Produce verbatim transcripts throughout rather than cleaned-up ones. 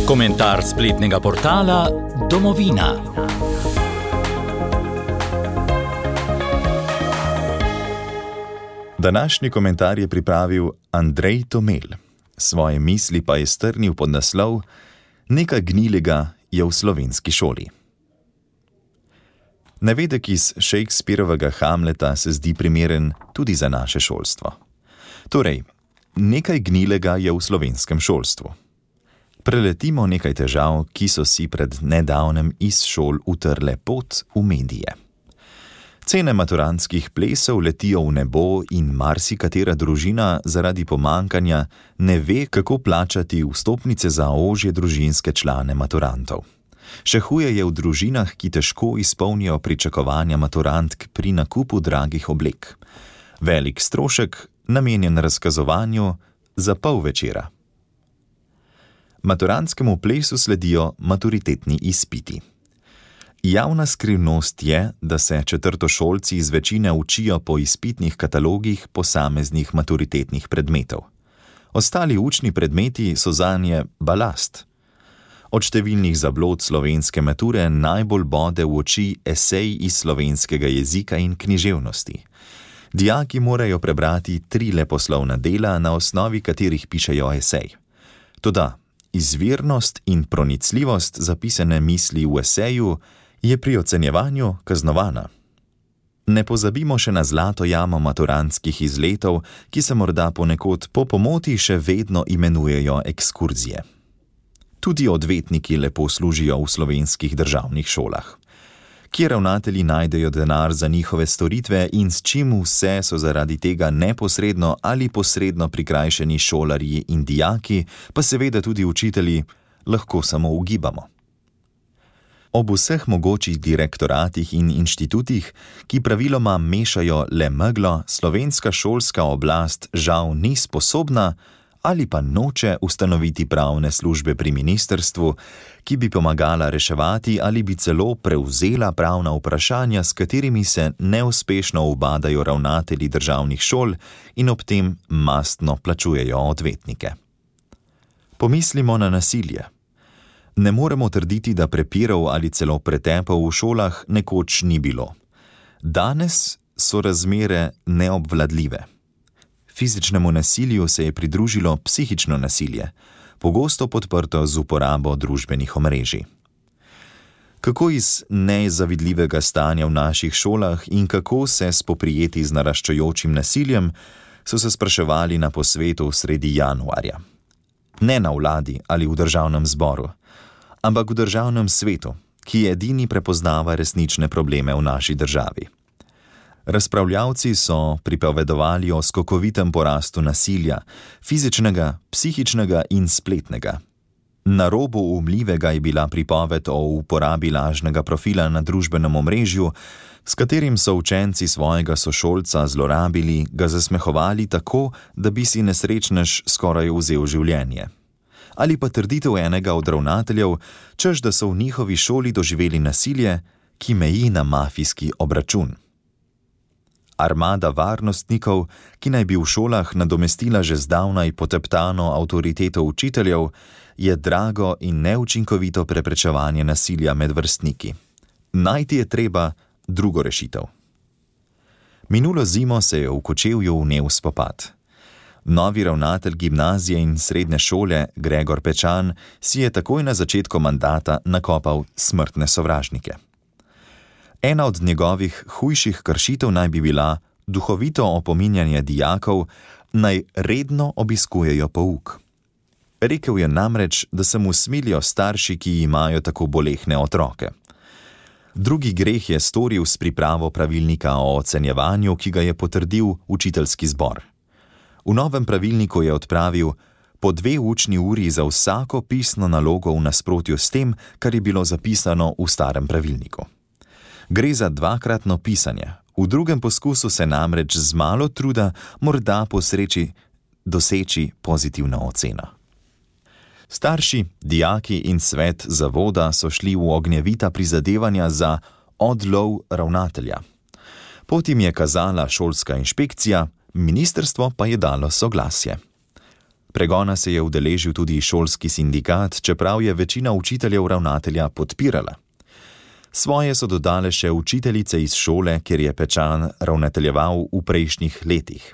Komentar spletnega portala Domovina. Današnji komentar je pripravil Andrej Tomel. Svoje misli pa je strnil pod naslov Nekaj gnilega je v slovenski šoli. Navedek iz Shakespearovega Hamleta se zdi primeren tudi za naše šolstvo. Torej, nekaj gnilega je v slovenskem šolstvu. Preletimo nekaj težav, ki so si pred nedavnem iz šol utrle pot v medije. Cene maturantskih plesov letijo v nebo in marsikatera družina zaradi pomankanja ne ve, kako plačati vstopnice za ožje družinske člane maturantov. Še huje je v družinah, ki težko izpolnijo pričakovanja maturantk pri nakupu dragih oblek. Velik strošek, namenjen razkazovanju za pol večera. Maturantskemu plesu sledijo maturitetni izpiti. Javna skrivnost je, da se četrtošolci iz večine učijo po izpitnih katalogih posameznih maturitetnih predmetov. Ostali učni predmeti so zanje balast. Od številnih zablod slovenske mature najbolj bode v oči esej iz slovenskega jezika in književnosti. Dijaki morajo prebrati tri leposlovna dela, na osnovi katerih pišejo esej. Toda izvirnost in pronicljivost zapisane misli v eseju je pri ocenjevanju kaznovana. Ne pozabimo še na zlato jamo maturantskih izletov, ki se morda ponekod po pomoti še vedno imenujejo ekskurzije. Tudi odvetniki lepo služijo v slovenskih državnih šolah. Kje ravnatelji najdejo denar za njihove storitve in s čim vse so zaradi tega neposredno ali posredno prikrajšani šolarji in dijaki, pa seveda tudi učitelji, lahko samo ugibamo. Ob vseh mogočih direktoratih in inštitutih, ki praviloma mešajo le meglo, slovenska šolska oblast žal ni sposobna ali pa noče ustanoviti pravne službe pri ministrstvu, ki bi pomagala reševati ali bi celo prevzela pravna vprašanja, s katerimi se neuspešno ubadajo ravnatelji državnih šol in ob tem mastno plačujejo odvetnike. Pomislimo na nasilje. Ne moremo trditi, da prepirov ali celo pretepov v šolah nekoč ni bilo. Danes so razmere neobvladljive. Fizičnemu nasilju se je pridružilo psihično nasilje, pogosto podprto z uporabo družbenih omrežij. Kako iz nezavidljivega stanja v naših šolah in kako se spoprijeti z naraščajočim nasiljem, so se spraševali na posvetu sredi januarja. Ne na vladi ali v državnem zboru, ampak v državnem svetu, ki edini prepoznava resnične probleme v naši državi. Razpravljavci so pripovedovali o skokovitem porastu nasilja, fizičnega, psihičnega in spletnega. Na robu umljivega je bila pripoved o uporabi lažnega profila na družbenem omrežju, s katerim so učenci svojega sošolca zlorabili, ga zasmehovali tako, da bi si nesrečnež skoraj vzel življenje. Ali pa trditev enega od ravnateljev, češ da so v njihovi šoli doživeli nasilje, ki meji na mafijski obračun. Armada varnostnikov, ki naj bi v šolah nadomestila že zdavnaj poteptano avtoriteto učiteljev, je drago in neučinkovito preprečevanje nasilja med vrstniki. Najti je treba drugo rešitev. Minulo zimo se je v Kočevju vnel spopad. Novi ravnatelj gimnazije in srednje šole, Gregor Pečan, si je takoj na začetku mandata nakopal smrtne sovražnike. Ena od njegovih hujših kršitev naj bi bila duhovito opominjanje dijakov, naj redno obiskujejo pouk. Rekel je namreč, da se mu smilijo starši, ki imajo tako bolehne otroke. Drugi greh je storil s pripravo pravilnika o ocenjevanju, ki ga je potrdil učiteljski zbor. V novem pravilniku je odpravil po dve učni uri za vsako pisno nalogo v nasprotju s tem, kar je bilo zapisano v starem pravilniku. Gre za dvakratno pisanje. V drugem poskusu se namreč z malo truda morda posreči doseči pozitivno oceno. Starši, dijaki in svet zavoda so šli v ognjevita prizadevanja za odlov ravnatelja. Pot jim je kazala šolska inšpekcija, ministrstvo pa je dalo soglasje. Pregona se je udeležil tudi šolski sindikat, čeprav je večina učiteljev ravnatelja podpirala. Svoje so dodale še učiteljice iz šole, kjer je Pečan ravnateljeval v prejšnjih letih.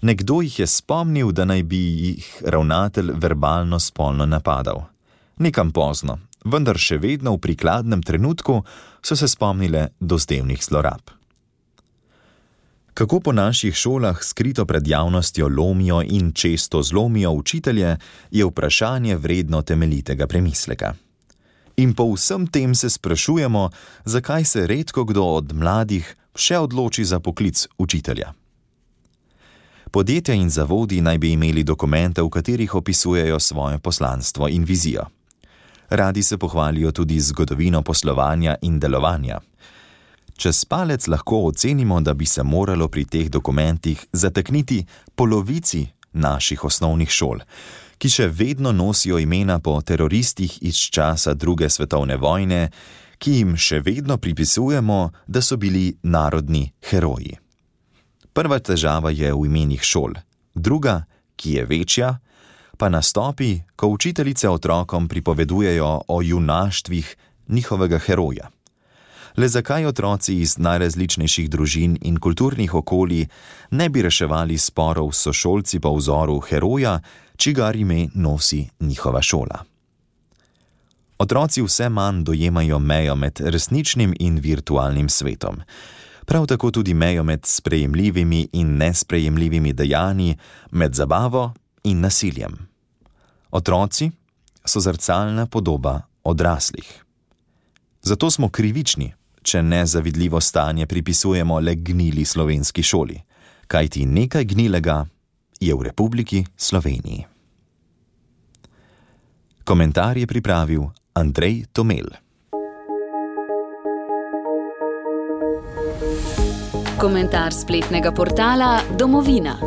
Nekdo jih je spomnil, da naj bi jih ravnatelj verbalno spolno napadal. Nekam pozno, vendar še vedno v prikladnem trenutku so se spomnile dozdevnih zlorab. Kako po naših šolah skrito pred javnostjo lomijo in često zlomijo učitelje, je vprašanje vredno temeljitega premisleka. In po vsem tem se sprašujemo, zakaj se redko kdo od mladih še odloči za poklic učitelja. Podjetja in zavodi naj bi imeli dokumente, v katerih opisujejo svoje poslanstvo in vizijo. Radi se pohvalijo tudi zgodovino poslovanja in delovanja. Čez palec lahko ocenimo, da bi se moralo pri teh dokumentih zatakniti polovici naših osnovnih šol, ki še vedno nosijo imena po teroristih iz časa druge svetovne vojne, ki jim še vedno pripisujemo, da so bili narodni heroji. Prva težava je v imenih šol, druga, ki je večja, pa nastopi, ko učiteljice otrokom pripovedujejo o junaštvih njihovega heroja. Le zakaj otroci iz najrazličnejših družin in kulturnih okolij ne bi reševali sporov s sošolci po vzoru heroja, čigar ime nosi njihova šola? Otroci vse manj dojemajo mejo med resničnim in virtualnim svetom. Prav tako tudi mejo med sprejemljivimi in nesprejemljivimi dejanji, med zabavo in nasiljem. Otroci so zrcalna podoba odraslih. Zato smo krivični, če nezavidljivo stanje pripisujemo le gnili slovenski šoli, kajti nekaj gnilega je v Republiki Sloveniji. Komentar je pripravil Andrej Tomel. Komentar spletnega portala Domovina.